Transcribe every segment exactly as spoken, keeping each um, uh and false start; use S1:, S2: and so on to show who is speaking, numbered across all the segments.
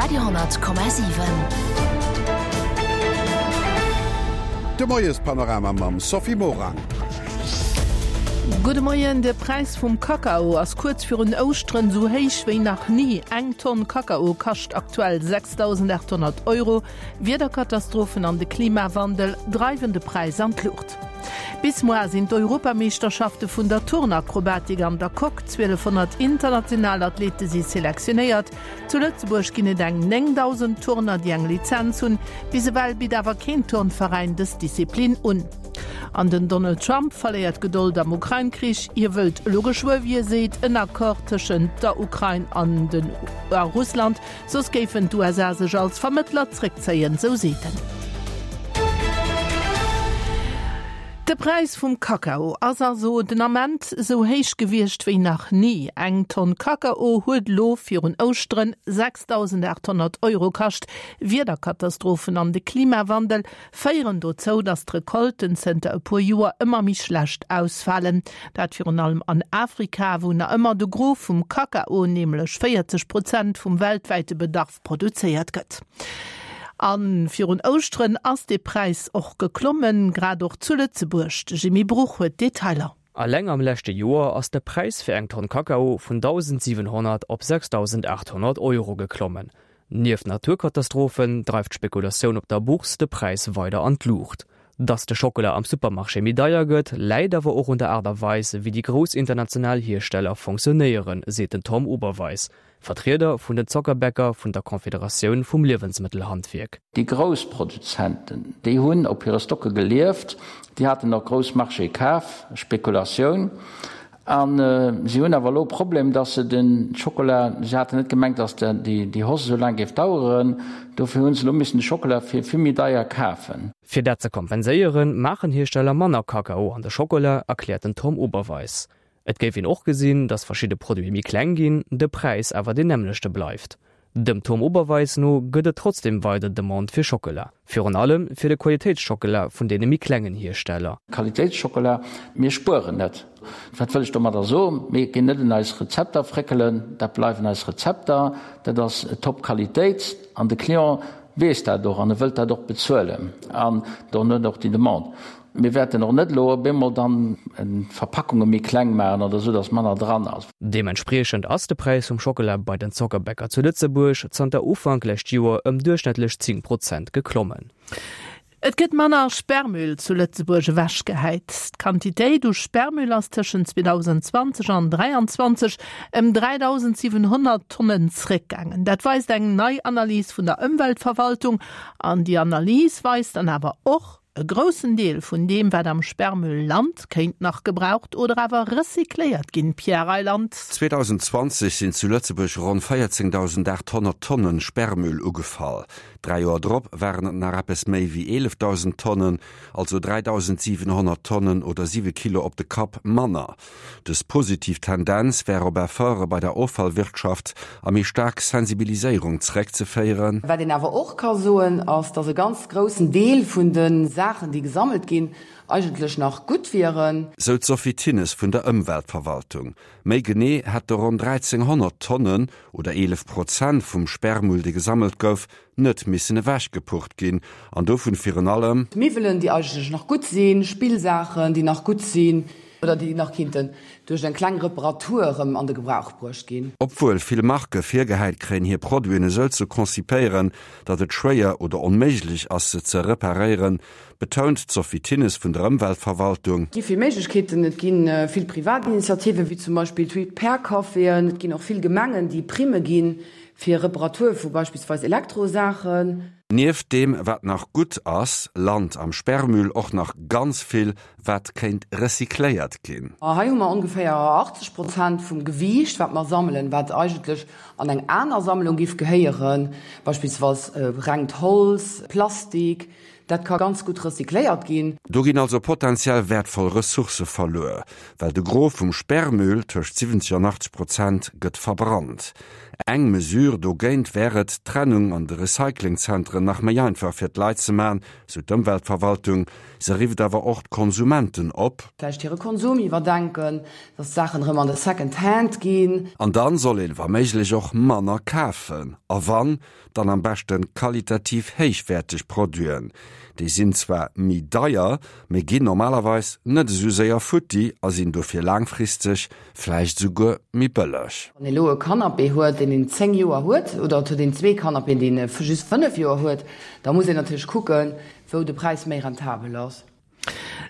S1: Radio honnert Komma siwen.
S2: De Moiespanorama mam Sophie Morang.
S3: Gudde Moien, De Präis vum Kakao ass kuerz virun Ouschteren sou héich wéi nach ni. Eng Tonn Kakao kascht aktuell sechsdausendachthonnert Euro. Wiederkatastrophen an de Klimawandel dreiwen de Präis an d'Luucht. Bis moar sinn d'Europameeschterschafte vun der Turnakrobatik an der Coque. Zwielefhonnert international Athlete si selektionéiert. Zu Lëtzebuerg ginn et eng néngdausend Turner, déi eng Lizenz hunn. Bis ewell bitt awer keen Turnveräin dës Disziplin un. An den Donald Trump verléiert d'Gedold am Ukrain-Krich. Hie wëllt elo geschwë, wéi e seet, en Accord tëschent der Ukrain an den a Russland, soss géifen d'USA sech als Vermëttler zréckzéien, sou seet en. De Präis vum Kakao ass also den Ament sou héich gewiescht wéi nach ni. Eng Tonn Kakao huet elo virun Ouschteren sechsdausendachthonnert Euro kascht. Wiederkatastrophen an de Klimawandel féieren dozou, datt d'Recolten zënter e puer Joer ëmmer méi schlecht ausfalen. Dat virun allem an Afrika, wou nach ëmmer de Gros vum Kakao, nämlech véierzeg Prozent vum weltwäite Bedarf, produzéiert gëtt. A virun Ouschteren ass de Präis och geklommen, grad och zu Lëtzebuerg. De Jimmy Bruch huet d'Detailer.
S4: Alleng am leschte Joer ass de Präis fir eng Tonn Kakao vun dausendsiwenhonnert op sechsdausendachthonnert Euro geklommen. Nieft Naturkatastrophen dreift d'Spekulatioun op der Bourse de Präis weider an d'Luucht. Dass de Schockela am Supermarché méi deier gëtt, läit awer och un der Aart a Weis, wéi déi grouss international Hiersteller fonctionnéieren, seet den Tom Oberweis, Vertrieder vun den Zockerbäcker vun der Confederatioun vum Liewensmëttelhandwierk.
S5: Déi grouss Produzenten, déi hunn op hire Stocke gelieft, déi haten och grouss Marchéë kaf, Spekulatioun. A si hunn awer elo e Problem, dass se de Schokola, si haten net gemengt, dass déi Hausse esou laang géif daueren, dofir hu se elo missen de Schokola fir vill méi deier kafen.
S4: Fir dat ze kompenséieren, maachen Hiersteller manner Kakao an de Schokola, erkläert den Tom Oberweis. Et géif een och gesinn, datt verschidde Produite méi kleng ginn, de Präis awer deen nämmlechte bleift. Dem Tom Oberweis no gëtt et trotzdeem weider Demande fir Schockela. Virun allem fir de Qualitéitsschockela vun deene méi klengen Hiersteller.
S5: Qualitéitsschockela, mir spueren net. Wat wëll ech domadder soen? Mir ginn net un eis Rezepter fréckelen, dat bleiwen eis Rezepter, dat ass top Qualitéit an de Client weess dat och an e wëllt dat och bezuelen an dann huet en och déi Demande. Mir wäerten och net elo op eemol dann d'Verpackunge méi kleng maachen oder esou, datt manner dran ass.
S4: Deementspriechend ass de Präis vum Schockela bei den Zockerbäcker zu Lëtzebuerg zanter Ufank lescht Joer ëm duerchschnëttlech zéng Prozent geklommen.
S3: Et gëtt manner Sperrmüll zu Lëtzebuerg ewechgehäit. D'Quantitéit u Sperrmüll ass tëschent zweedausendzwanzeg an dräianzwanzeg ëm dräidausendsiwenhonnert Tonnen zréckgaangen. Dat weist eng nei Analys vun der Ëmweltverwaltung. An déi Analys weist dann awer och, E groussen Deel vun deem, wat am Sperrmüll lant, kéint nach gebraucht oder awer recycléiert ginn. Pierre Reyland.
S2: zweedausendzwanzeg sinn zu Lëtzebuerg ronn véierzéngdausendachthonnert Tonnen Sperrmüll ugefall. Dräi Joer drop waren et nach eppes méi wéi eelefdausend Tonnen, also dräidausendsiwenhonnert Tonnen oder siwe Kilo op de Kapp manner. Dës positiv Tendenz wär op Efforte bei der Offallwirtschaft a méi staark Sensibiliséierung zeréckzeféieren.
S6: Wat een awer och ka soen, ass, dass e ganz groussen Deel vun de Saachen, déi gesammelt ginn, eigentlech nach gutt wieren.
S2: Sou d'Sophie Thinnes vun der Ëmweltverwaltung. Méi genee hätte ronn dräizénghonnert Tonnen oder eelef Prozent vum Sperrmüll, dee gesammelt gouf, net missen ewechgepurrt ginn an dovun virun allem.
S6: Miwwelen, déi eigentlech nach gutt sinn, Spillsaachen, déi nach gutt sinn oder déi nach kinnten duerch eng kleng Reparatur erëm an de Gebrauch bruecht ginn.
S2: Obwuel vill Marke virgehäit kréien, hir Produiten esou ze konzipéieren, datt et schwéier oder onméiglech ass, se ze reparéieren, betount d'Sophie Thinnes vun der Ëmweltverwaltung.
S6: Et gi vill Méiglechkeeten, et gi vill privat Initiativen, wéi zum Beispill d'Repair-Caféen, et ginn och vill Gemengen, déi Primme ginn fir Reparatur vu beispillsweis Elektrosaachen.
S2: Nieft deem, wat nach gutt ass, lant am Sperrmüll och nach ganz vill, wat kéint recycléiert ginn.
S6: Hei hu mer ongeféier achtzeg Prozent vum Gewiicht, wat mer sammelen, wat eigentlech an eng aner Sammlung giff gehéieren, beispillsweis rengt Holz, Plastik. Dat ka ganz gutt recycléiert ginn.
S2: Do ginn also potenziell wäertvoll Ressourcë verluer, well de Gros vum Sperrmüll, tëscht siwwenzeg an achtzeg Prozent, gëtt verbrannt. Eng Mesure dogéint wär et, d'Trennung an de Recyclingzentren nach méi einfach fir d'Leit ze man, sou d'Ëmweltverwaltung. Se rifft awer och d'Konsumenten op.
S6: Vläicht hire Konsum iwwerdenken, dass d'Saachen erëm an de Second Hand ginn.
S2: An dann soll een wa méiglech och manner kafen. A wann, dann am beschten qualitativ héichwäerteg Produiten. Déi sinn zwar méi deier, mee ginn normalerweis net esou séier futti a sinn dofir laangfristeg vläicht esouguer méi bëlleg.
S6: Wann ee lo e Canapé huet, deen een zéng Joer huet, oder et huet een zwee Canapéen, déi een just fënnef Joer huet, da muss een natierlech kucken, wou de Präis méi rentabel ass.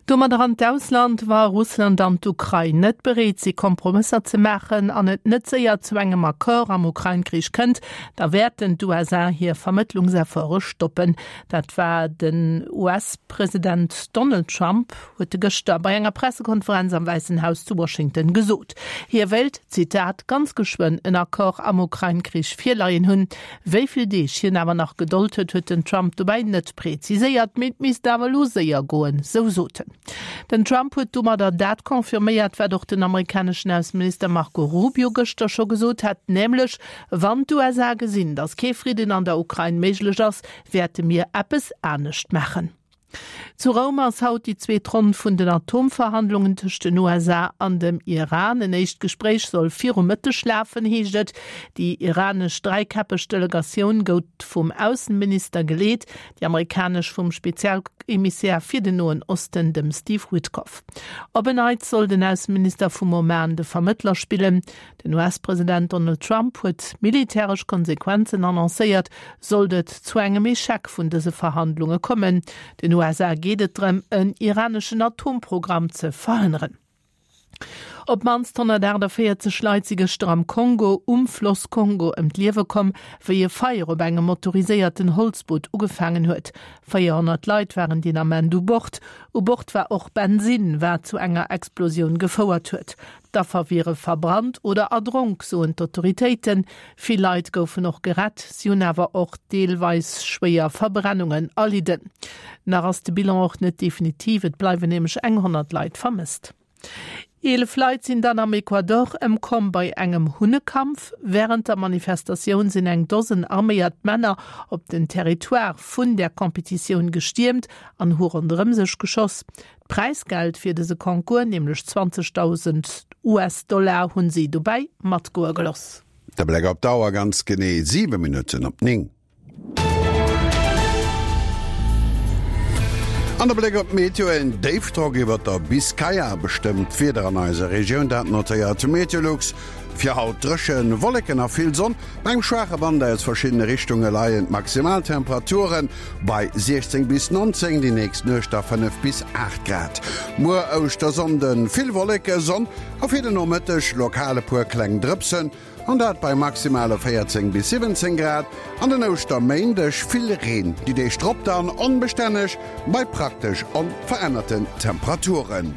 S3: Domadder an d'Ausland, Wa Russland an d'Ukrain net bereet si Kompromësser ze maachen an et net séier zu engem Accord am Ukrain-Krich kënnt, da wäerten d'U S A hir Vermëttlungsefforte stoppen. Dat war den U S-President Donald Trump huet de gëschter bei enger Pressekonferenz am Wäissen Haus zu Washington gesot. Hie wéilt, Zitat, ganz geschwënn en Accord am Ukrain-Krich virleien hunn. Wéi vill Deeg hien awer nach Gedold huet, huet den Trump dobäi net preziséiert, mee et misst awer elo séier goen, sou sot en. Den Trump huet domadder dat confirméiert, wat och den amerikaneschen Ausseminister Marco Rubio gëschter scho gesot hat, nämlech, Wann d'U S A gesinn, datt kee Fridden an der Ukrain méiglech ass, wäerte mir eppes anescht maachen. Zu Roum ass haut déi zweet Ronn vun den Atomverhandlungen tëscht den U S A an dem Iran. En éischt Gespréich soll virum Mëtteg lafen, heescht et. Déi iranesch dräikäppeg Delegatioun gouf vum Aussenminister geleet, déi amerikanesch vum Spezialemissär fir den Noen Osten, dem Steve Witkoff. Op en Neits soll den Aussenminister vum Oman de Vermëttler spillen. Den U S-President Donald Trump huet militäresch Konsequenzen annoncéiert, sollt et zu engem Echec vun dëse Verhandlunge kommen. Den U S A geet et drëm, en iraneschen Atomprogramm ze verhënneren. Op d'mannst honnertaachtavéierzeg Leit si gëschter am Kongo um Floss Kongo ëm d'Liewe komm, wéi e Feier op engem motoriséierten Holzboot ugefaangen huet. véierhonnert Leit waren deen Ament u Bord. U Bord war och Bensin, wat zu enger Explosioun gefouert huet. D'Affer wiere verbrannt oder erdronk, soen d'Autoritéiten. Vill Leit goufen och gerett, si hunn awer och deelweis schwéier Verbrennungen erlidden. Nach ass de Bilan och net definitiv, et bleiwen nämlech eng honnert Leit vermësst. Eelef Leit sinn dann am Ecuador ëmkomm bei engem Hunnekampf. Während der Manifestatioun sinn eng Dosen arméiert Männer op den Territoire vun der Competitioun gestiermt an hu ronderëm sech geschoss. D'Präisgeld fir dëse Concours, nämlech zwanzegdausend U S-Dollar, hunn si dobäi matgoe geloss.
S1: De Bléck op d'Auer, ganz genee siwe Minutten op néng. An der Bléck op d'Meteo, en Déifdrock iwwer der Biskaya bestëmmt d'Wieder an eiser Regioun, dat notéiert Meteolux. Fir haut dréchen, Wolleken a vill Sonn. Bei engem schwaache Wand aus verschiddene Richtunge leien d'Maximaltemperaturen bei siechzéng bis nonzéng, déi nächst Nuecht da fënnef bis aacht Grad. Muer Ouschtersonnden vill Wolleke, Sonn a fir den Nomëtteg lokal e puer kleng Drëpsen, an dat bei maximale véierzéng bis siwwenzéng Grad. An den Ouschterméindeg vill Reen, déi Deeg drop dann onbestänneg bei praktesch onverännerten Temperaturen.